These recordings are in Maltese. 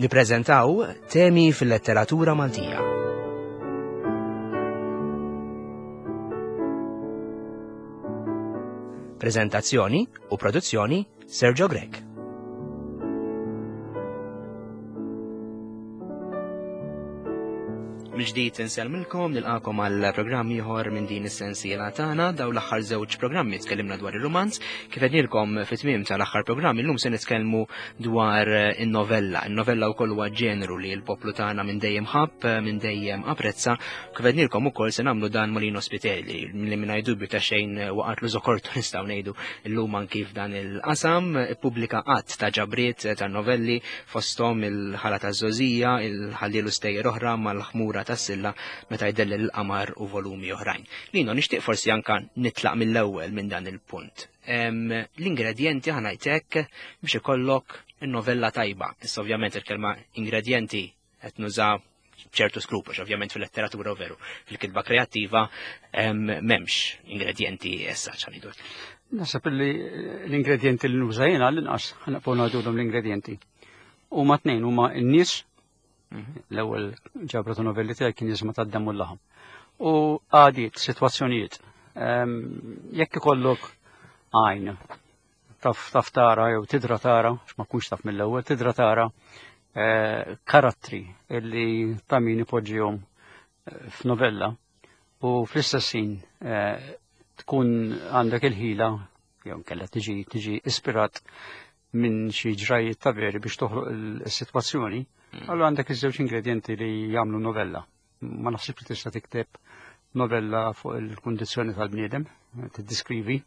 Nippreżentaw temi fil-letteratura Maltija. Prezentazzjoni u produzzjoni Sergio Grech. Mill-ġdid insellmilkom nilqakom għal programm ieħor minn din is-sensiela tagħna daw l-aħħar żewġ programmi tkellimna dwar ir-rumanz kif qednilkom fit-tmiem tal-aħħar programm illum se nitkellmu dwar in-novella. In-novella wkoll huwa ġeneru li l-poplu tagħna minn dejjem ħabb, minn dejjem apprezza. Kif qednilkom ukoll se nagħmlu dan Molino Spiteri li mingħajr dubju ta' xejn waqgħatlu żokortu nistgħu ngħidu llum anki f'dan il-qasam, ippubblika qatt ta' ġabriet ta' novelli fosthom il-ħala ta' żożija, il-ħallielu stejjer oħra mal-ħmura ta' silla meta jdellel il-qamar u volumi oħrajn. Lino, nixtieq forsi anka nitlaq mill-ewwel minn dan il-punt. L-ingredjenti ħanajtek biex ikollok novella tajba. Issa ovvjament il-kelma ingredjenti qed nuża ċertu skruplu, ovvjament fil-letteratura u veru, fil-kitba kreattiva memx ingredienti essa ċanidu. Nasab li l-ingredienti li nuża jena l-inqas, ħanaqfu ngħidulhom l-ingredienti. Huma tnejn huma n-nies, mhm. l-ewwel ġabra ta' novelli tiegħi kien jiżma tad-demm u l-laħam. U għadiet, sitwazzjonijiet. Jekk ikollok għajn taf taf tara jew tidra tara, ma kunx taf mill-ewwel, tidra tara eh, karattri illi ta' min ipoġġihom eh, f'novella u fl-istess ħin eh, tkun għandek il-ħila jew nkella tiġi tiġi ispirat minn xi ġrajiet ta' veri biex toħloq il-sitwazzjoni, mm. allura għandek iż-żewġ ingredienti li jagħmlu novella. Ma naħsibx li tista' tikteb novella fuq il-kundizzjoni tal-bniedem, tiddiskrivi,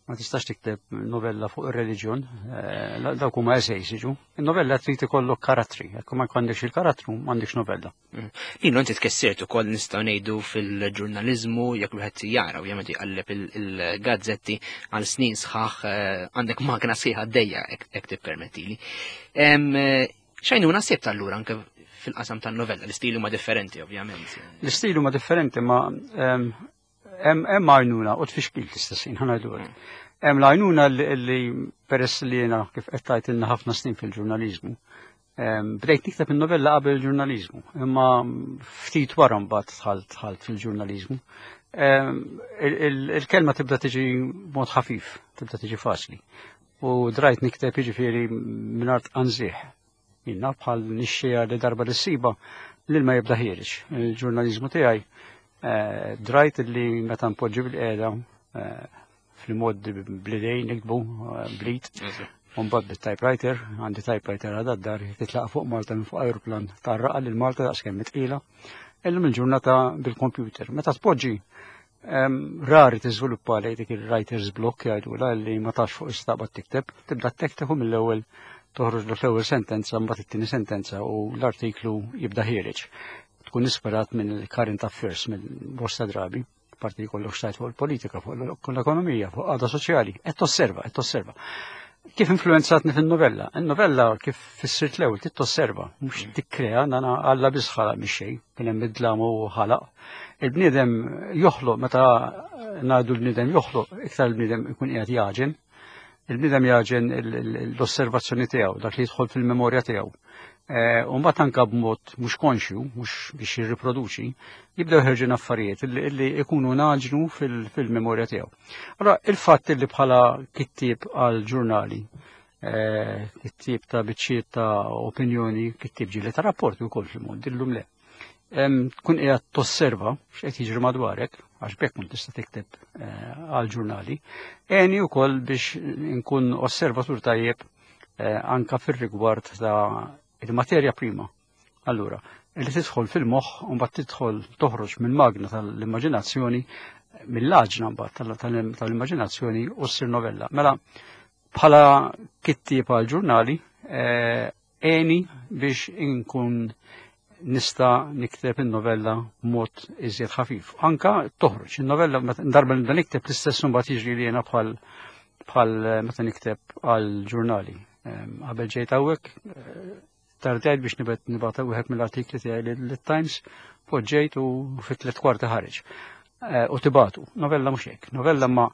ma tistax tikteb novella fuq ir-reliġjon, eh, dawk huma essays jiġu. Il-novella trid ikollok karattri, jekk ma jkollekx il-karattru m'għandekx novella. Mm. Lino inti tkessirt ukoll nistgħu ngħidu fil-ġurnaliżmu jekk wieħed jara u jagħmel jqalleb il-gazzetti għal snin sħaħ eh, għandek magna sħiħa għaddejja hekk tippermettili. Eh, xajnuna sibt allura anke fil-qasam tan-novella, l-istili huma differenti ovvjament. L-istili huma differenti ma Hemm għajnuna u tfixkil fl-istess ħin ħanajdu hekk. Mm. Hemm l-għajnuna li peress li jiena kif qed tgħidilna ħafna snin fil-ġurnaliżmu. Bdejt nikteb in-novella qabel il-ġurnaliżmu, imma ftit wara mbagħad dħalt dħalt fil-ġurnaliżmu. Il-kelma tibda tiġi mod ħafif, tibda tiġi faċli. U drajt nikteb jiġifieri mingħajr tqanżih. Jien naf bħal nixxija li darba li ssiba l-ilma jibda ħiereġ. Il-ġurnaliżmu tiegħi eh, drajt li meta npoġġi bil-qiegħda eh, fil-mod blidejn nikbu eh, blit. Mbagħad bit-typewriter, għandi typewriter għadha d-dar, titlaq fuq Malta minn fuq aeroplan tarraqa lil Malta daqskemm tqila. Illum il-ġurnata bil-computer. Meta tpoġġi Rari tiżviluppa lej dik il-writer's block jgħidula li ma tafx fuq istaqbad tikteb, tibda tekteb u mill-ewwel toħroġ l-ewwel sentenza mbagħad it-tieni sentenza u l-artiklu jibda ħiereġ. Tkun isperat minn current affairs minn bosta drabi, parti li kollok xtajt fuq il-politika, fuq l-ekonomija, fuq għada soċjali, qed tosserva, qed tosserva. Kif influenzatni fin-novella? In-novella kif fissirt l-ewwel trid tosserva, mhux mm. tikkrea, nana Alla biss ħalaq mix xejn, kien hemm id-dlam u ħalaq. Il-bniedem joħloq meta ngħidu l-bniedem joħloq, iktar il-bniedem ikun qiegħed jaġen. Il-bniedem jaġen l-osservazzjoni tiegħu, dak li jidħol fil-memorja tiegħu. Eh, u mbagħad anke b'mod mhux konxju, mhux biex jirriproduċi, jibdew ħerġin affarijiet li ikunu naġnu fil-memorja tiegħu. Allora, il-fatt li bħala kittieb għal ġurnali, eh, kittieb ta' biċċiet ta' opinjoni, kittieb ġieli ta' rapporti wkoll fil-mod, illum le. Tkun qiegħed tosserva x'qed jiġri madwarek, għax bekk kun tista' tikteb eh, għal ġurnali, għeni wkoll biex nkun osservatur tajjeb Eh, anka fir-rigward ta' il-materja prima. Allura, li tidħol fil-moħħ u mbagħad tidħol toħroġ mill-magna tal-immaġinazzjoni, mill-għaġna mbagħad tal-immaġinazzjoni u ssir novella. Mela, bħala kittieb għal ġurnali, eh, għeni biex inkun nista nikteb in-novella mod iżjed ħafif. Anka toħroġ in-novella darba nibda nikteb l-istess mbagħad jiġri li jiena bħal bħal eh, meta nikteb għal ġurnali. Ehm, qabel ġejt hawnhekk eh, tardajt biex nibet nibgħat wieħed mill-artikli tiegħi lit-Times, poġġejt u fit tliet kwarti ħareġ. Eh, u tibatu. Novella mhux hekk. Novella ma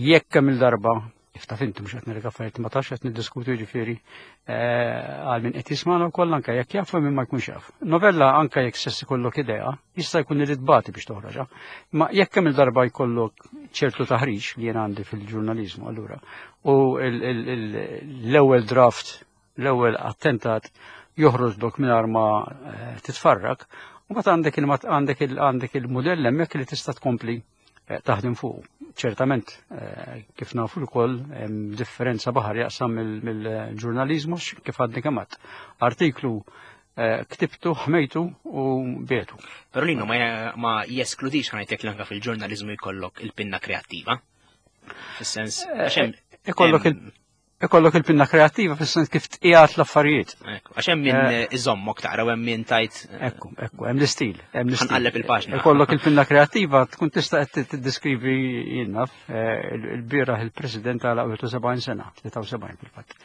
jekk kemm il-darba Kif taf inti mhux qed nirrega affarijiet ma tafx qed niddiskutu jiġifieri eh, għal min qed jismagħna wkoll anke jekk jaf u min ma jkunx jaf. Novella anke jekk sess ikollok idea, jista' jkun irid tbati biex toħroġha. Ma jekk kemm il-darba jkollok ċertu taħriġ li jien għandi fil-ġurnaliżmu allura u l-ewwel draft, l-ewwel attentat joħroġlok mingħajr ma eh, titfarrak, u mbagħad għandek għandek il-mudell hemmhekk li tista' tkompli Eh, taħdem fuq. Ċertament, eh, kif nafu l-koll, differenza baħar jaqsam mill-ġurnalizmu kif għadni kemat. Artiklu eh, ktibtu, ħmejtu u bietu. Pero linu ma jeskludix ħanajtek l-anka fil-ġurnalizmu jkollok il-pinna kreattiva. Fis-sens, ikollok il Ikollok il-pinna kreattiva fis-sens kif tqiegħed l-affarijiet. Għax hemm min eh, iżommok taqra u hemm min tajt. Eh, ekku, ekku, hemm l-istil, hemm l-istil. Ħanqalleb il-paġna. Ikollok il-pinna kreattiva tkun tista' qed tiddeskrivi jien naf eh, il-bieraħ il-President għal 71 sena, 73 fil-fatt.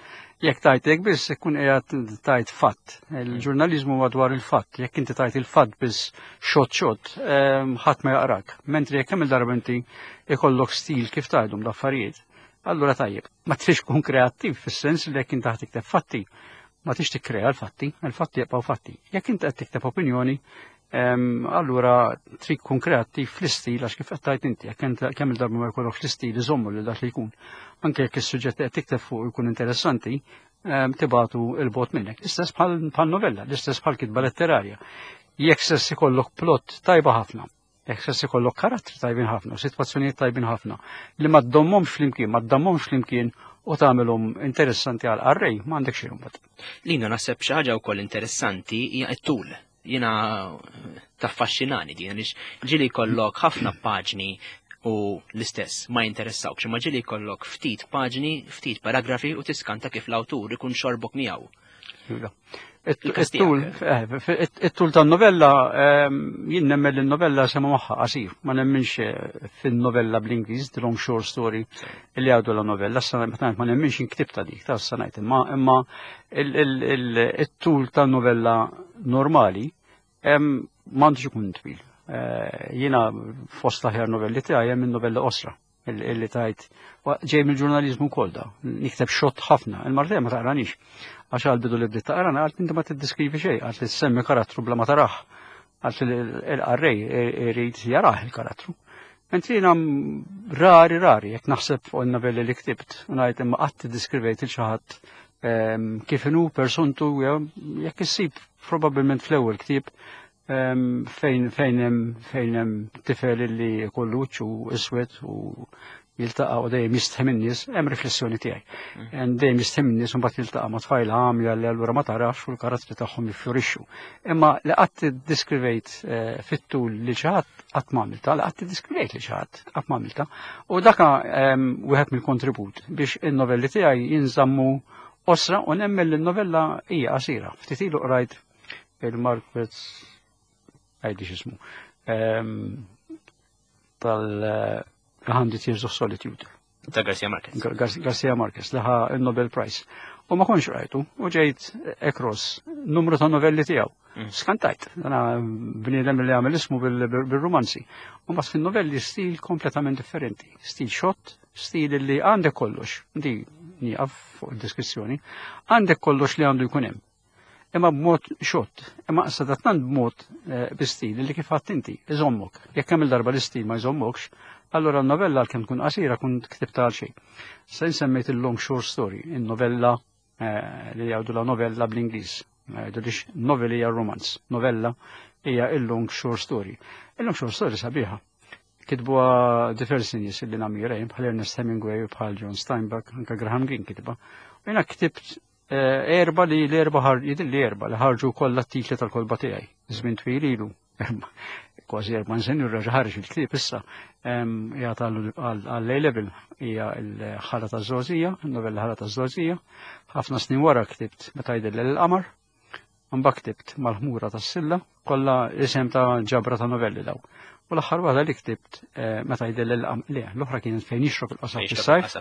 Jekk tajt hekk biss ikun qiegħed tajt fatt. Il-ġurnaliżmu huwa dwar il-fatt. Jekk inti tajt il-fatt biss xott xott, ħadd ma jaqrak. Mentri jekk hemm il-darba inti ikollok stil kif tgħidhom l-affarijiet, Allura tajjeb, ma trix tkun kreattiv fis-sens li jekk inti ħa tikteb fatti, ma trix tikkrea l-fatti, il-fatti jibqgħu fatti. Jekk inti qed tikteb opinjoni, allura trid tkun kreattiv fl-istil għax kif qed tgħid inti, jekk kemm il-darba ma jkollokx l-istil iżommu lil dak li jkun. Anke jekk is-suġġett qed tikteb fuq ikun interessanti, tibatu il-bot minnek. L-istess bħal novella, l-istess bħal kitba letterarja. Jekk sess ikollok plot tajba ħafna, Jekk se ikollok karattri tajbin ħafna, sitwazzjonijiet tajbin ħafna, li ma ddommhomx flimkien, ma ddammhomx flimkien u tagħmilhom interessanti għal qarrej, ma għandek xejn imbagħad. Lina naħseb xi ħaġa wkoll interessanti hija t-tul. Jiena taffaxxinani din għaliex ġieli jkollok ħafna paġni u l-istess ma jinteressawkx, imma ġieli jkollok ftit paġni, ftit paragrafi u tiskanta kif l-awtur ikun xorbok miegħu. Iva. Eh, it-tul tan-novella, ehm, jien nemmen li n-novella sema magħha qasir, ma nemminx eh, fin-novella bl-Ingliż, the long short story, li għadu la novella, ma nemminx inktibta dik, ta' sanajt, imma imma it-tul tan-novella normali ehm, m'għandux ikun twil. Eh, jiena fost aħjar novelli tiegħi hemm in-novella qosra illi tajt ġej mill-ġurnaliżmu wkoll da, nikteb xott ħafna, il-martija ma taqranix. Għax għal bidu li bdiet taqrana għalt inti ma tiddiskrivi xejn, għalt li semmi karattru bla ma taraħ, għalt li l-qarrej irid jarah il-karattru. Mentri jiena rari rari, jekk naħseb fuq il-novelli li ktibt, u ngħid imma qatt iddiskrivejt il xi ħadd ehm, kif inhu persontu jekk issib probabbilment fl-ewwel ktieb fejn fejn hemm fejn hemm tifel li jkollu wiċċu iswed u jiltaqa' u dejjem jistħi min-nies, hemm riflessjoni tiegħi. Mm. Dejjem jistħi min-nies u mbagħad jiltaqa' ma' tfajla għamja li allura ma tarax u l-karattri tagħhom jiffjorixxu. Imma li qatt iddiskrivejt eh, fit-tul li xi ħadd qatt ma għamilta, li qatt iddiskrivejt li xi ħadd qatt ma għamilta. U daka wieħed mill-kontribut biex in-novelli tiegħi jinżammu osra u nemmen li n-novella hija qasira. Ftit ilu qrajt il-Marquez għajdi xismu ehm, tal-100 Years of Solitude. Ta' Garcia Marquez. Garcia Marquez, liħa il-Nobel Prize. U ma konx rajtu, u ġejt across numru ta' novelli tiegħu. Mm. Skantajt, dana bniedem li għamel ismu bil-romanzi. U mas fin-novelli stil kompletament differenti. Stil xott, stil li għandek kollox, di nieqaf fuq id-deskrizzjoni, għandek kollox li għandu jkun hemm imma b'mod xott, imma sadattant b'mod eh, bi stil li kif għadt inti, iżommok. Jekk hemm il-darba l-istil ma jżommokx, allura n-novella għalkemm tkun qasira kun ktibta għal xejn. Se nsemmejt il-long short story, il-novella eh, li jgħidu la novella bl-Ingliż. Jgħidu lix novel hija romanz, novella hija il-long short story. Il-long short story sabiħa. Kitbuha diversi nies li namira bħal Ernest Hemingway u bħal John Steinbeck, anka Graham Greene kitba. U jiena ktibt Eh, erba li l-erba jidil li erba li ħarġu kollha t-titli tal-kolba tiegħi. Żmien twil ilu. Kważi erba' nsen ir-raġa ħarġ il-ktieb issa. Hija għall-A level hija l-ħala taż-żgħożija, novella ħala taż-żgħożija. Ħafna snin wara ktibt meta jidil l-qamar. Mbagħad ktibt mal-ħmura tas-silla, kollha isem ta' ġabra ta' novelli daw. U l-aħħar waħda li ktibt eh, meta jidil l-qamar, le, l-oħra kienet fejn jixrob il-qasab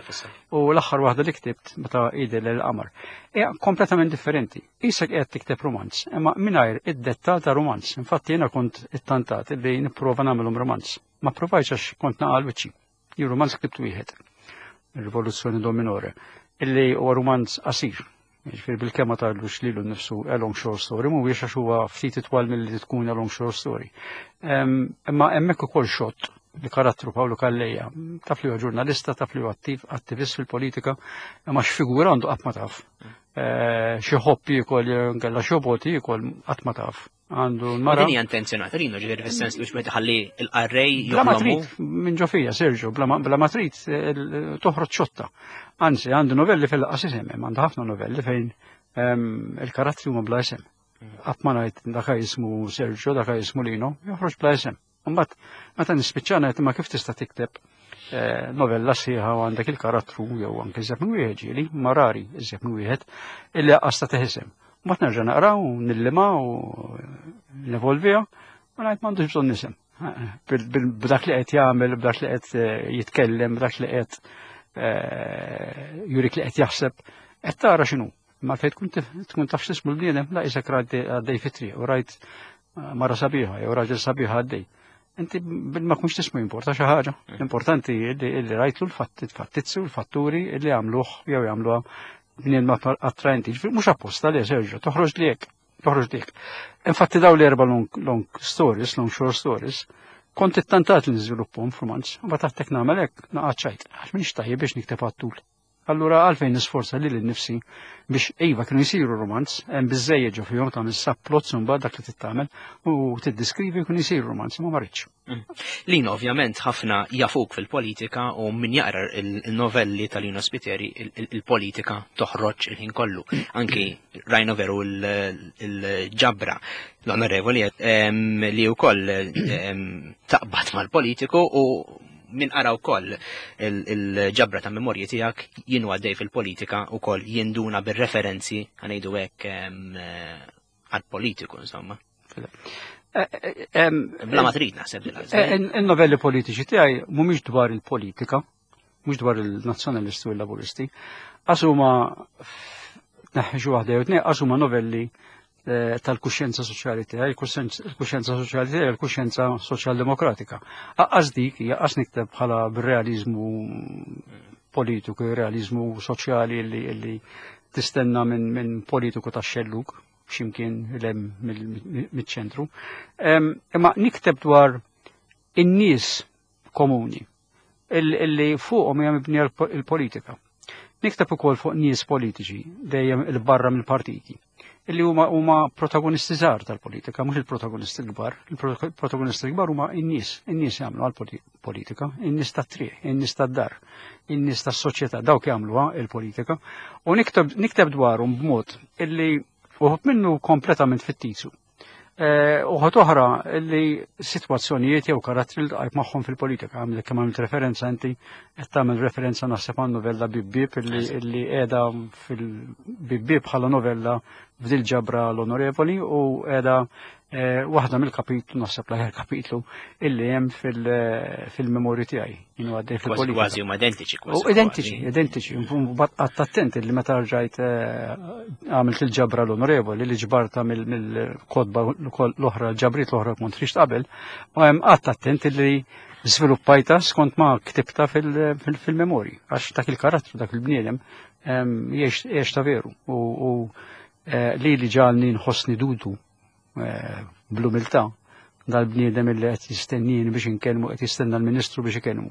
fis-sajf. U l-aħħar waħda li ktibt meta jidil l-qamar. Hija kompletament differenti. Isek qiegħed tikteb romanz, imma mingħajr id-dettal ta' romanz. Infatti jiena kont ittantat li nipprova nagħmelhom romanz. Ma provajtx għax kont naqal wiċċi. Jien romanz ktibt wieħed. Il-Rivoluzzjoni Do Minore, illi huwa rumanz qasir. Jiġifieri bil-kemm ma tgħidlux lilu nnifsu a long short story, mhuwiex għax huwa ftit itwal milli tkun a long short story. Imma hemmhekk ukoll xott li karattru Pawlu Calleja, taf li huwa ġurnalista, taf li huwa attiv, attivist fil-politika, imma x'figura għandu qatt ma taf. Eh, xi ħobb jiekol jew inkella xobot jiekol qatt ma taf. Għandu l-mara. Din hija intenzjonata Rino ġifieri fis-sens li meta ħalli l-qarrej Bla ma trid minn ġo fija Sergio, bla ma trid eh, toħroġ xotta. Anzi, għandu novelli fil-qas isem, għandu ħafna novelli fejn ehm, il-karattri huma bla isem. Qatt ma ngħid dak jismu Sergio, dak jismu Lino, joħroġ bla isem. Mbagħad meta nispiċċa ngħid imma kif tista' tikteb eh, novella sħiħa u għandek il-karattru jew anke iżjed minn wieħed ġieli, ma rari iżjed minn wieħed, illi aqqas ta' teħisem. Mbagħad nerġa' naqra u nillima u nevolviha u ngħid m'għandux bżonn nisem. B'dak li qed jagħmel, b'dak li qed eh, jitkellem, b'dak li qed eh, jurik li qed jaħseb, qed tara x'inhu. Ma fejn tkun taf x'ismu l-bniedem, la isek għaddej fit-triq u rajt mara sabiħa jew raġel sabiħ għaddej. Inti bil ma kunx tismu jimporta xi ħaġa. Mm. Importanti li rajtlu l-fattizzi u l-fatturi li għamluh jew jagħmluha bnien ma attraenti. Mhux apposta li Sergio, toħroġ li hekk, toħroġ li hekk. Infatti daw l-erba long, long stories, long short stories, kont ittantat li niżviluppahom f'romanz, u ma taħtek nagħmel hekk naqgħod xajt, għax m'iniex tajjeb biex nikteb għat-tul. Allura għalfejn nisforza lili nnifsi biex iva kienu jsiru romanz, hemm biżejjed ġo fihom tagħmel subplots u mbagħad dak li tittamel u tiddiskrivi jkun jsir romanz imma ma rridx. Mm. Lino ovvjament ħafna jafuk fil-politika u min jaqra il-novelli ta' Lino Spiteri il-politika toħroġ il-ħin kollu. Anki rajna veru il-ġabra l-onorevoli li wkoll taqbad mal-politiku u min qara wkoll il-ġabra ta' memorji tiegħek jien għaddej fil-politika wkoll jinduna bir-referenzi ħanejdu hekk għal-politiku insomma. Eh, eh, Bla ma trid naħseb. Eh, il-novelli politiċi tiegħi mhumiex dwar il-politika, mhux dwar il-nazzjonalisti u l-laburisti, għax huma tneħħi xi waħda jew tnejn għax huma novelli Eh, tal-kuxjenza soċjali tiegħi, il-kuxjenza soċjali tiegħi, il-kuxjenza soċjaldemokratika. Aqqas dik hija qas nikteb bħala bir-realiżmu politiku, realizmu soċjali li, li tistenna minn min politiku ta' xelluk ximkien lem mill-ċentru. Imma nikteb dwar in-nies komuni illi fuqhom hija mibnija l-politika. Nikteb ukoll fuq nies politiċi dejjem il-barra mill-partiti illi huma huma protagonisti żgħar tal-politika, mhux il-protagonisti l-kbar. Il-protagonisti l-kbar huma n-nies, in-nies jagħmlu għall-politika, in-nies tat-triq, in-nies tad-dar, in-nies tas-soċjetà, dawk jagħmluha il-politika. U nikteb nikteb dwarhom b'mod illi uħud minnu kompletament fittizju. Eh, uħod oħra li sitwazzjonijiet jew karattri li tqajt magħhom fil-politika, għamlek kemm għamilt referenza inti qed tagħmel referenza naħseb għan novella Bibbib illi qiegħda fil-Bibbib bħala novella f'dil ġabra l-Onorevoli u qiegħda eh, waħda mill-kapitlu naħseb l-aħjar kapitlu illi hemm eh, fil-memorju tiegħi. Jien għaddej fil-politika. Kważi huma identiċi. U identiċi, identiċi. Qatt attent illi meta rġajt eh, għamilt il-ġabra l-onorevoli li ġbarta mill-kodba l-oħra, l-ġabriet l-oħra kont rixt qabel, u hemm qatt attent illi żviluppajta skont ma ktibta fil-memorji, għax dak il-karattru, dak il-bniedem, jiex ta' veru. U li li ġalni nħossni dudu eh, bl-umiltà dal-bniedem illi qed jistennini biex inkellmu qed jistenna l-Ministru biex ikellmu.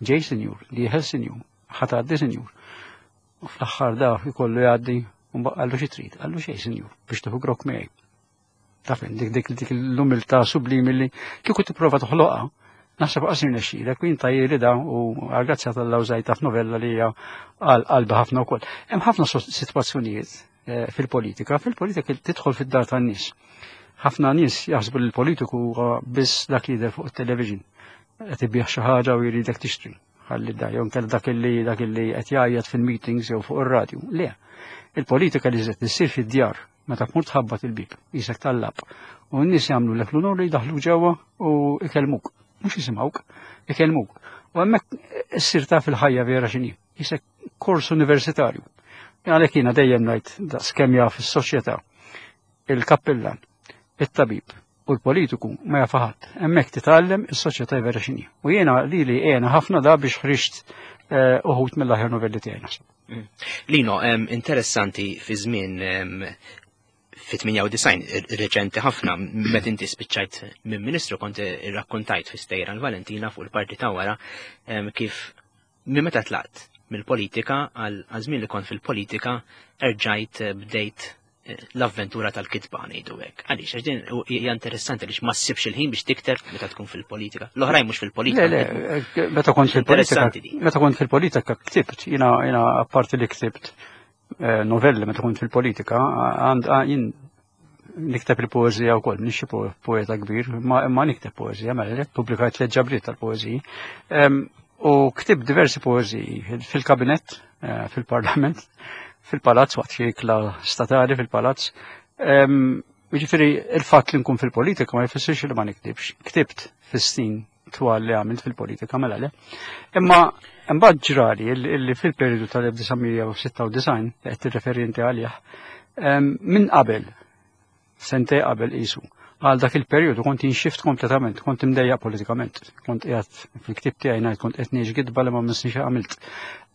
Ġej sinjur, dieħel sinjur, ħadd għaddi sinjur. U fl-aħħar da jkollu jgħaddi u qallu xi trid, qallu xejn sinjur biex tieħu grok miegħi. Taf dik dik dik l-umiltà sublimi li kieku tipprova toħloqha naħseb qas jirnexxilek u jintajjeri da u għal-grazzja tal-lawżajta f'novella li hija għal qalbi ħafna wkoll. Hemm ħafna sitwazzjonijiet Eh, fil-politika. Fil-politika tidħol fid-dar tan-nies. Ħafna nies jaħsbu li l-politiku huwa biss dak li jidher fuq it-television. Qed ibih xi ħaġa u jridek tixtri. Ħalli da jew inkella dak illi dak illi qed jgħajjat fil-meetings jew fuq ir-radju. Le. Il-politika li żed issir fid-djar meta tmur tħabbat il-bib, jisek tallab. U n-nies jagħmlu lek l-unur li jdaħlu ġewwa u ikellmuk. Mhux jisimgħuk, ikellmuk. U hemmhekk issir taf il-ħajja vera x'inhi. Jisek kors universitarju. Għalhekk jiena dejjem ngħid daqskemm jaf is-soċjetà, il-kappillan, it-tabib u l-politiku ma jaf ħadd. Hemmhekk titgħallem is-soċjetà vera x'inhi. U jiena lili għena ħafna da biex ħriġt uħud mill-aħjar novelli tiegħi naħseb. Lino, interessanti fi żmien fi 98, reċenti ħafna, meta inti spiċċajt minn ministru kont irrakkontajt fi stejra l-Valentina fuq il-parti ta' wara kif minn meta tlaqt mill-politika għal żmien li kont fil-politika erġajt bdejt l-avventura tal-kitba ngħidu hekk. Għaliex għax din hija interessanti għaliex ma ssibx il-ħin biex tikteb meta tkun fil-politika. L-oħrajn mhux fil-politika. Le, le, meta kont fil-politika. Meta kont fil-politika ktibt, jiena apparti li ktibt eh, novelli meta kont fil-politika, għand jien nikteb il-poezija wkoll, m'iniex xi poeta kbir, ma nikteb poezija, mela pubblikajt tliet ġabriet tal-poeziji. U ktibt diversi poeziji fil-kabinett, eh, fil-parlament, fil-palazz, waqt xi ikla statali fil-palazz. Jiġifieri il-fatt li nkun fil-politika ma jfissirx li ma niktibx. Ktibt fis-snin twal li għamilt fil-politika mela le. Imma imbagħad ġrali li fil-periodu tal-1996 li qed tirreferi inti għalih, minn qabel, sentej qabel qisu, għal dak il-periodu kont inxift kompletament, kont imdejjaq politikament, kont qiegħed fil-ktieb tiegħi ngħid kont qed ngħix gidba li ma missniex għamilt.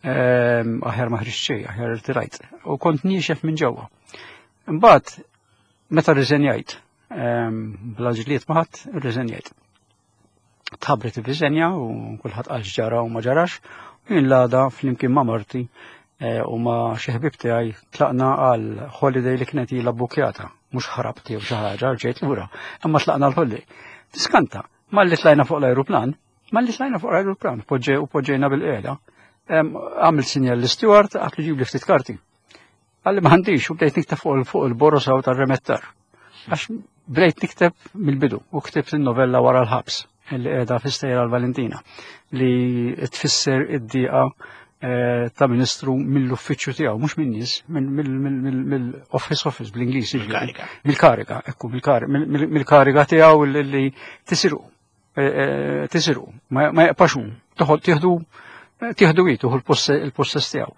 Aħjar ma ħriġt xejn, aħjar irtirajt. U kont niexef minn ġewwa. Imbagħad meta rriżenjajt, bla ġlied ma ħadd irriżenjajt. Tħabbret ir-riżenja u kulħadd qal x'ġara u ma ġarax, u jien l-għada flimkien ma' marti eh, u ma' xi ħbieb tiegħi tlaqna għal holiday li kienet ilha bbukjata, mhux ħrabt jew xi ħaġa ġejt lura, imma tlaqna l-holiday. Tiskanta, malli tlajna fuq l-ajruplan, malli tlajna fuq l-ajruplan, u poġġejna bil-qiegħda, għamil sinjal l-steward għat li ġib li ftit karti. Għalli ma għandix u bdejt nikteb fuq il-borosa u tar-remettar. Għax bdejt nikteb mill-bidu u ktibt il-novella wara l-ħabs li qiegħda fi-stejra l-Valentina li tfisser id-diqa eh, ta' ministru mill-uffiċċju tiegħu, mhux minn nies, mill-office office bl-Ingliż. Mill-kariga, ekku, mill-kariga tiegħu li tisirqu. Eh, eh, tisirqu, ma jaqpax hu, toħod tieħdu tieħdu hi tuħu l-possess tiegħu.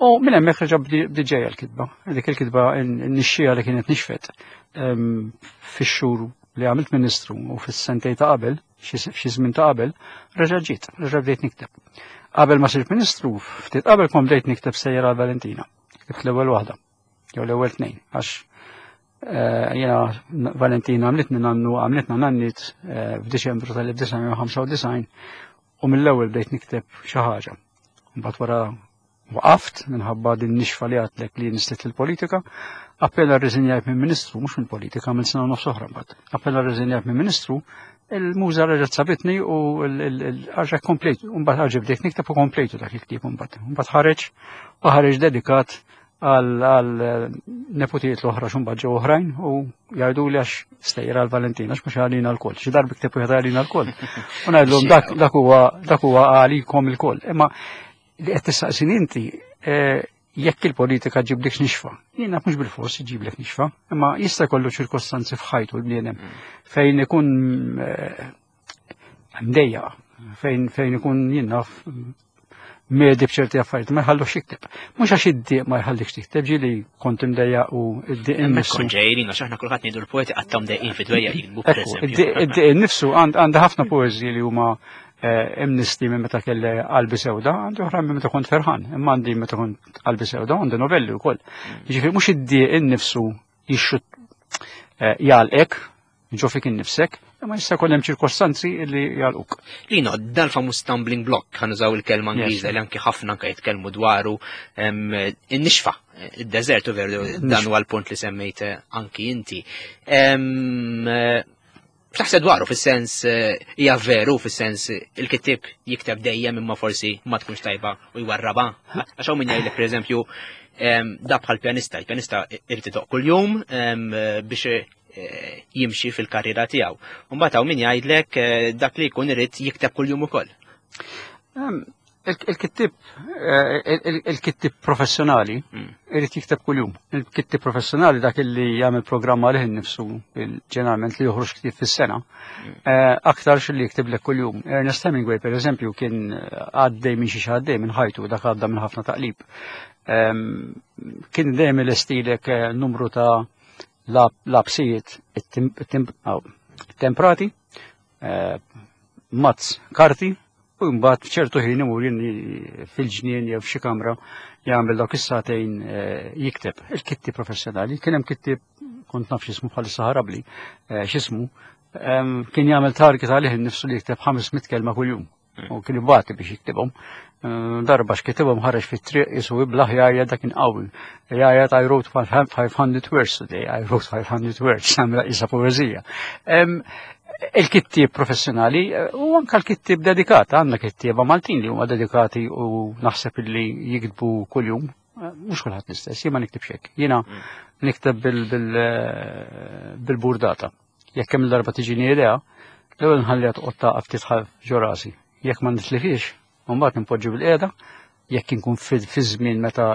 U minn hemmhekk reġa' bdiet ġejja l-kitba. Dik il-kitba n-nixxija li kienet nixfet ehm, fix-xhur li għamilt ministru u fis-sentej ta' qabel, xi żmien ta' qabel, reġa' ġiet, reġa' bdejt nikteb. Qabel ma sirt ministru, ftit qabel kont bdejt nikteb sejra Valentina. Ktibt l-ewwel waħda, jew l-ewwel tnejn, għax eh, jiena Valentina għamlitni nannu għamlitna nannit eh, f'Diċembru tal-1995 u mill-ewwel bdejt nikteb xi ħaġa. Mbagħad wara waqaft minħabba din nixfa li għatlek li nislet il-politika, appella rriżenjajt minn ministru, mhux minn politika, minn sena nofs oħra mbagħad. Appella rriżenjajt minn ministru, il-muża reġgħet sabitni u l-ħaġa komplejt, mbagħad ħaġa bdejt nikteb u komplejtu dak il-ktieb mbagħad. Mbagħad ħareġ u ħareġ dedikat għal neputijiet l-oħra xumbat ġew oħrajn u jgħidu li għax stejra għal Valentina għax mhux għalina l-koll, xi darba ktieb wieħed għalina l-koll. U ngħidlhom dak huwa dak huwa għalikom il-koll. Imma li qed tistaqsin inti eh, jekk il-politika ġiblek nixfa. Jiena mhux bil-fors ġiblek nixfa, imma jista' jkollu ċirkostanzi f'ħajtu l-bniedem mm. fejn ikun eh, mdejja fejn fejn ikun jinnaf medi b'ċerti affarijiet ma jħallux jikteb. Mhux għax id-dieq ma jħallikx tikteb, ġieli kont imdejja u id-dieq innifsu. Kont ġejjin għax aħna kulħadd ngħidu l-poeti qatt mdejqin fi dwejja jiktbu Id-dieq innifsu għandha ħafna poeżiji li huma eh, imnisti minn meta kelli qalbi sewda, għandi oħra minn meta kont ferħan, imma għandi meta kont qalbi sewda, għandi novelli wkoll. Mm. Jiġifieri mhux id-dieq innifsu jixxut eh, jgħalqek ġo fik innifsek, imma jista' jkun hemm ċirkostanzi li jgħalquk. Lino, dal-famuż stumbling block, ħa nużaw il-kelma Ingliża li anki ħafna anke jitkellmu dwaru in-nixfa, id-deżert u veru dan huwa l-punt li semmejt eh, anki inti. Eh, Taħseb dwaru fis-sens eh, hija veru fis-sens il-kittieb jikteb dejjem imma forsi ma tkunx tajba u jwarraba. Għax hawn min jgħidlek pereżempju da bħal pjanista, il-pjanista irid idoq kuljum biex eh, jimxi fil-karriera tiegħu. Mbagħad hawn min jgħidlek eh, dak li jkun irid jikteb kuljum ukoll. Il-kittib eh, il-kittib professjonali mm. irid jikteb kuljum. Il-kittib professjonali dak li jagħmel programm għalih innifsu ġeneralment li joħroġ ktieb fis-sena, mm. aktar li jiktiblek kuljum. Ernest Hemingway per eżempju kien għaddej minn xi għaddej minn ħajtu dak għadda minn ħafna taqlib. Ehm, kien dejjem ilestilek numru ta' lapsijiet temprati, eh, mazz karti u U mbagħad f'ċertu ħin imur fil-ġnien jew f'xi kamra jagħmel dawk is-sagħtejn eh, jikteb. Il-kittieb professjonali, kien hemm kittieb kont naf x'ismu bħalissa ħarabli, eh, x'ismu, kien jagħmel target għalih innifsu li jikteb 500 kelma kuljum. Hmm. U kien ibati biex jiktibhom. Darba x'kitibhom ħareġ fit-triq jisu iblaħ jgħajja dak kien qawwi. Jgħajja I wrote 500 words today, I wrote 500 words, għamla isa poeżija. Il-kittieb professjonali eh, u anka l-kittieb dedikat, għandna kittieba Maltin li huma dedikati u naħseb li jiktbu kuljum, eh, mhux kulħadd l-istess, jien ma niktibx hekk. Jiena mm. nikteb eh, bil-burdata. Jekk hemm darba tiġini idea, l-ewwel nħalliha toqgħod taqaf ftit ġo rasi. Jekk ma nitlifix, mbagħad nipoġġi bil-qiegħda, jekk inkun fi żmien meta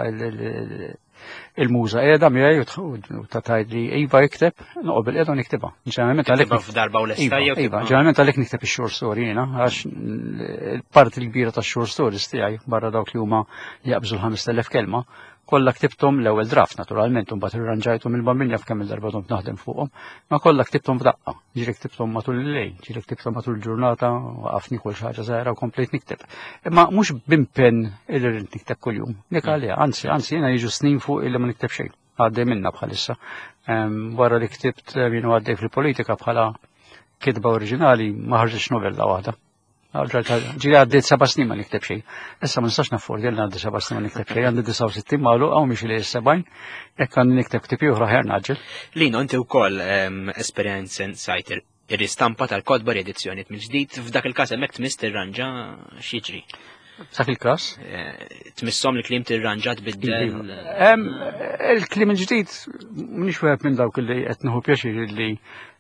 il-muża qiegħda miegħi u ta' tgħid li iva ikteb, noqgħod bil-qiegħda u niktibha. Ġeneralment għalhekk f'darba u lesta iva, iva, ġeneralment għalhekk nikteb ix-short story jiena għax il-parti l-kbira tax-short stories tiegħi barra dawk li huma jaqbżu l-5000 kelma Kollha ktibthom l-ewwel draft naturalment u mbagħad irranġajthom il-bambin jaf kemm il-darba domt naħdem fuqhom, ma kollha ktibthom f'daqqa. Ġieli ktibthom matul il-lejl, ġieli ktibthom matul il-ġurnata, waqafni kull xi ħaġa żgħira u komplejt nikteb. Imma mhux b'impenn illi rrid nikteb kuljum. Dik għalija, anzi, anzi jiena jiġu snin fuq illi ma nikteb xejn. Għaddej minna bħalissa. Wara li ktibt jienu għaddej fil-politika bħala kitba oriġinali ma ħarġitx novella waħda. Ġili għaddejt seba snin ma nikteb xejn. Issa ma nistax naffordi li għaddi seba snin ma nikteb xejn, għandi 69 magħluq hawn mhix li sebgħin, jekk għandi nikteb ktieb ieħor aħjar naġġel. Lino, inti wkoll ehm, esperjenza sajt ir-ristampa tal-kodba riedizzjoni mill-ġdid, f'dak il-każ hemmhekk tmiss tirranġa x'jiġri. F'dak il-każ? Eh, tmisshom li kliem tirranġa tbiddel. Iva. Ehm, il-kliem il-ġdid mhix wieħed minn dawk li qed nieħu pjaċir li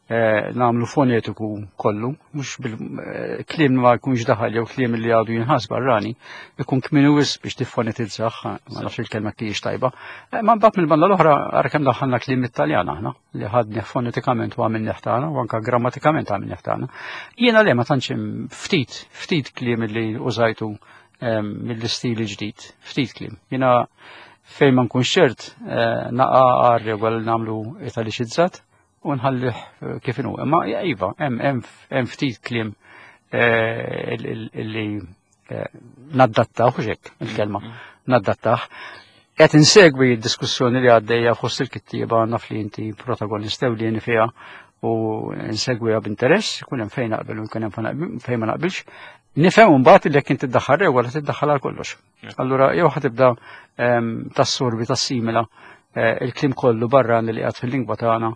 Eh, nagħmlu fonetiku kollu, mhux bil-kliem eh, ma jkunx daħal jew kliem li għadu jinħas barrani, ikun kmini wis biex tiffonetizzah, ma nafx il-kelma kiex tajba. Eh, ma mbagħad mill-banda l-oħra ara kemm daħħalna kliem it-Taljan aħna li ħadni fonetikament u għamilni ħtana u anka grammatikament għamilni ħtana. Jiena le ma tantx ftit, ftit kliem li użajtu mill-istili ġdid, ftit kliem. Jiena fejn ma nkunx ċert naqa' għar-regola li nagħmlu italiċizzat, u nħallih eh, kif inhu. Imma iva, hemm ftit kliem eh, li eh, naddattaw, hekk il-kelma, mm-hmm. naddattaw. Qed insegwi d-diskussjoni li għaddejja fost il-kittieba naf li inti protagonist ewlieni fiha u nsegwiha b'interess, ikun hemm fejn naqbel u jkun hemm fejn ma naqbilx. Nifhem imbagħad li jekk inti tiddaħħal regola tiddaħħal għal kollox. Allura jew ħatibda ehm, tassorbi tassimila eh, il-klim kollu barra li qiegħed fil-lingwa tagħna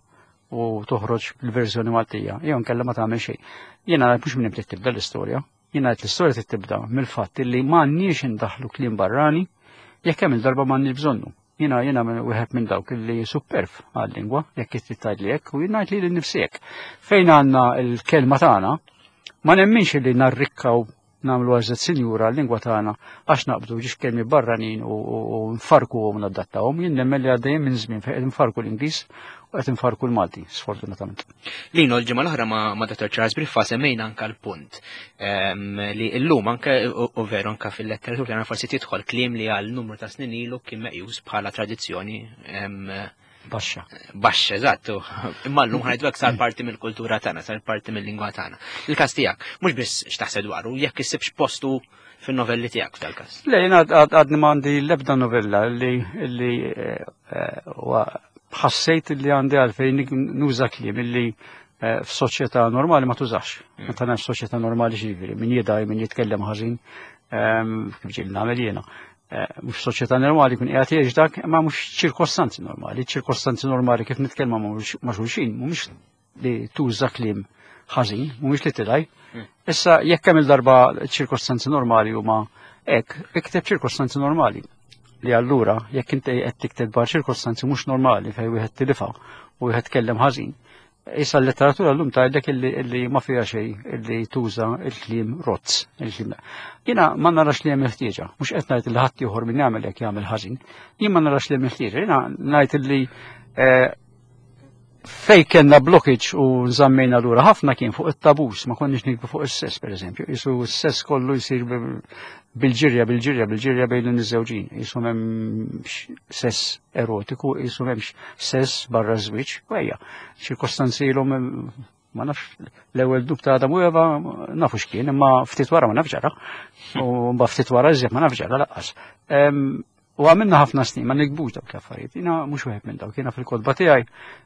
u toħroġ bil-verżjoni Maltija, jew nkella ma tagħmel xejn. Jiena mhux minn trid tibda l-istorja, jiena qed l-istorja trid tibda mill-fatt li m'għandniex indaħlu kliem barrani jekk hemm il-darba m'għandniex bżonnu. Jiena jiena wieħed minn dawk li superf għal-lingwa, jekk trid tgħidli hekk, u jien ngħid li nnifsi hekk. Fejn għandna l-kelma tagħna, ma nemminx li narrikkaw nagħmlu għażlet sinjura l-lingwa tagħna għax naqbdu ġiex kelmi barranin u nfarkuhom u nadattawhom. Jien nemmen li għaddejjin minn żmien fejn qed nfarku l-Ingliż u qed nfarku l-Malti, sfortunatament. Lino, l-ġimgħa l-oħra ma' Dr. Charles Briffa semmejna anka l-punt ehm, li llum anke u veru anka fil-letteratura tagħna forsi tidħol kliem li għal numru ta' snin ilu kien meqjus bħala tradizzjoni ehm, Baxxa. Baxxa, eżatt. Imma llum ħajdu hekk sar parti mill-kultura tagħna, sar parti mill-lingwa tagħna. Il-każ tiegħek, mhux biss x'taħseb dwaru, jekk issibx postu fin-novelli tiegħek f'dal-każ. Le, jiena għadni m'għandi l-ebda novella li li eh, eh, ħassejt li għandi għalfejn nuża kliem illi eh, f'soċjetà normali ma tużax. Mm. Meta nafx soċjetà normali ġifieri, min jidaj, min jitkellem ħażin, ehm, kif ġieli nagħmel jiena. Eh, mhux soċjetà normali kun qiegħed jgħix dak, imma mhux ċirkostanzi normali. Ċirkostanzi normali kif nitkellmu ma' xulxin, mhumiex li tuża kliem ħażin, mhumiex li tilaj. Hmm. Issa jekk hemm il-darba ċirkostanzi normali huma hekk, ikteb ċirkostanzi normali. Li allura jekk inti qed tikteb dwar ċirkostanzi mhux normali fejn wieħed tilifha u wieħed tkellem ħażin, Issa l-letteratura l-lum tgħidlek illi ma fiha xejn illi tuża il-kliem rozz. Il-kliem. Jiena ma narax li hemm il-ħtieġa, mhux qed ngħid li ħadd ieħor min jagħmel hekk jagħmel ħażin. Jien ma narax li hemm il-ħtieġa, jiena ngħid illi eh, fej kellna blockage u nżammejna lura ħafna kien fuq it-tabus, ma konniex nikbu fuq is-sess pereżempju. Isu s-sess kollu jsir bil-ġirja, bil-ġirja, bil-ġirja bejn l-niżewġin. Isu m'hemmx sess erotiku, isu m'hemmx sess barra żwieġ, u ejja, ċirkostanzi ilhom Ma nafx l-ewwel dnub ta' Adam u Eva nafu x'kien, imma ftit wara ma nafx ġara. U mbagħad ftit wara iżjed ma nafx ġara laqqas. U għamilna ħafna snin ma nikbux dawk l-affarijiet. Jiena mhux wieħed minn dawk, jiena fil-kotba tiegħi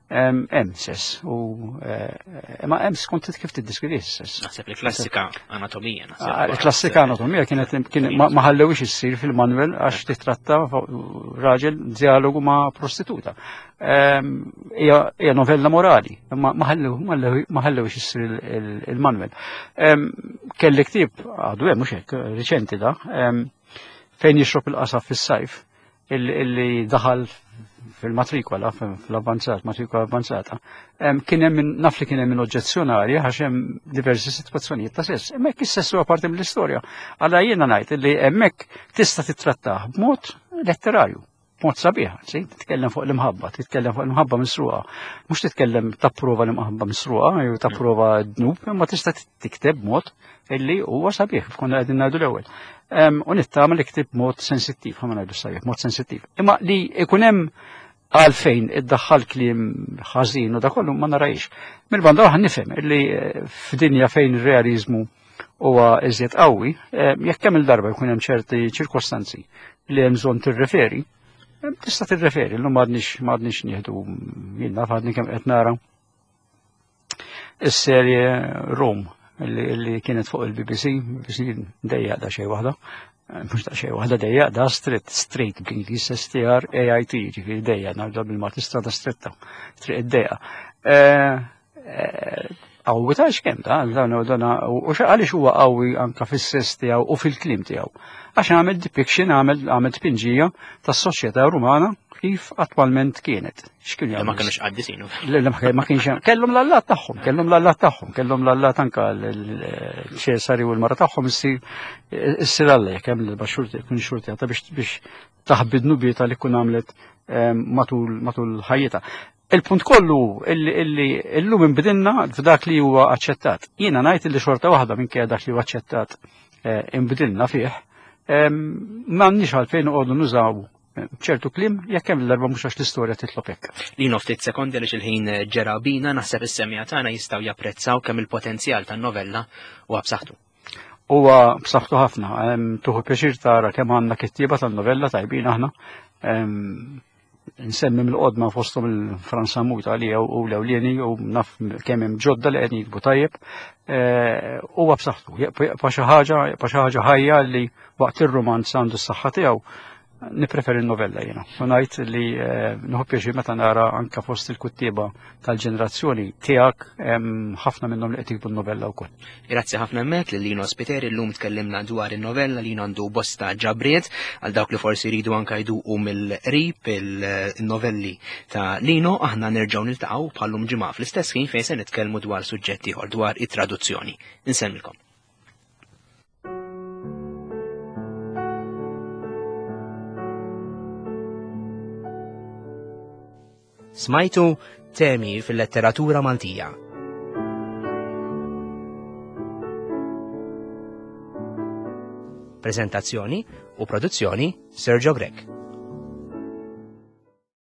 hemm sess u eh, imma hemm skont kif tiddiskrivi s-sess. Naħseb li klassika anatomija. Ah, klassika anatomija kienet ma ħallewix issir fil-manuel għax titratta raġel dialogu ma' prostituta. Hija novella morali, imma ma ħallewix issir il-manuel. Kelli ktieb għadu hemm mhux hekk riċenti da fejn jixrob il-qasab fis-sajf illi daħal fil-matrikola, fl-avvanzat, matrikola avvanzata, kien hemm naf li kien hemm oġġezzjonali għax hemm diversi sitwazzjonijiet ta' sess. Hemmhekk is-sess huwa parti mill-istorja. Alla jiena ngħid li hemmhekk tista' titrattah b'mod letterarju, b'mod sabiħ, anzi, titkellem fuq l-imħabba, titkellem fuq l-imħabba misruqa. Mhux titkellem tapprova l-imħabba misruqa jew tapprova dnub, imma tista' tikteb b'mod illi huwa sabiħ, konna qegħdin ngħidu l-ewwel. U nittama li ktib mod sensittiv, ħa ma ngħidu sabiħ, mod sensittiv. Imma li ikun hemm għalfejn iddaħħal kliem ħażin u da kollu ma narajx. Mill-banda oħra nifhem illi eh, f'dinja fejn ir-realizmu huwa iżjed qawwi, eh, jekk kemm il-darba jkun hemm ċerti ċirkostanzi li hemm bżonn tirreferi, eh, tista' tirreferi, llum m'għadniex m'għadniex nieħdu jien naf għadni kemm qed nara Is-serje Rome li kienet fuq il-BBC, BBC dejjaq da xej waħda, mhux da xej waħda dejjaq da street, street bl-Ingliż STR AIT, ġifieri dejjaq nagħmlu bil-Malti strada stretta, triq id-dejqa. Eh, eh, qawwi ta' x'kemm ta' dan dan u għaliex huwa qawwi anka fis-sess tiegħu u fil-kliem tiegħu. Għax għamel depiction, għamel għamel tpinġija tas-soċjetà Rumana kif attwalment kienet. X'kienu jagħmlu? Ma kienux qaddisin. Le, ma kienx hemm. Kellhom l-allat tagħhom, kellhom l-allat tagħhom, kellhom l-allat anka l-Ċesari u l-mara tagħhom issir issir alla jekk hemm l-baxxurti jkun xurti għata biex biex taħbi dnubieta li kun għamlet ehm, matul matul ħajjitha. Il-punt kollu illi illum inbidilna f'dak li huwa aċċettat. Jiena ngħid illi xorta waħda minkejja dak li huwa aċċettat eh, inbidilna fih, ehm, m'għandniex għalfejn noqogħdu nużaw ċertu kliem jekk hemm l-darba mhux għax l-istorja titlob hekk. Lino ftit sekondi għaliex il-ħin ġera bina naħseb is-semja tagħna jistgħu japprezzaw kemm il-potenzjal tan-novella huwa b'saħħtu. Huwa b'saħħtu ħafna, tuħu pjaċir tara kemm għandna kittieba tan-novella tajbin aħna. Nsemmi mill-qodma fosthom il-Franz Sammut għalija u l-ewlieni u naf kemm hemm ġodda li qed jiktbu tajjeb. Eh, huwa b'saħħtu, jibqa' xi ħaġa, jibqa' xi ħaġa ħajja li waqt ir-rumanz għandu s-saħħa tiegħu Nipreferi n-novella jiena. U ngħid li eh, nieħu pjaċir meta nara anka fost il-kuttieba tal-ġenerazzjoni tiegħek ħafna minnhom li qed jiktbu n-novella wkoll. Grazzi ħafna hemmhekk lil Lino Spiteri llum tkellimna dwar in-novella li għandu bosta ġabriet għal dawk li forsi jridu anka jduqu mill-qrib il-novelli ta' Lino aħna nerġgħu niltaqgħu bħallum ġimgħa fl-istess ħin fejn se nitkellmu dwar suġġett ieħor dwar it-traduzzjoni. Insemmilkom. Smajtu temi fil-letteratura Maltija. Prezentazzjoni u produzzjoni Sergio Grech.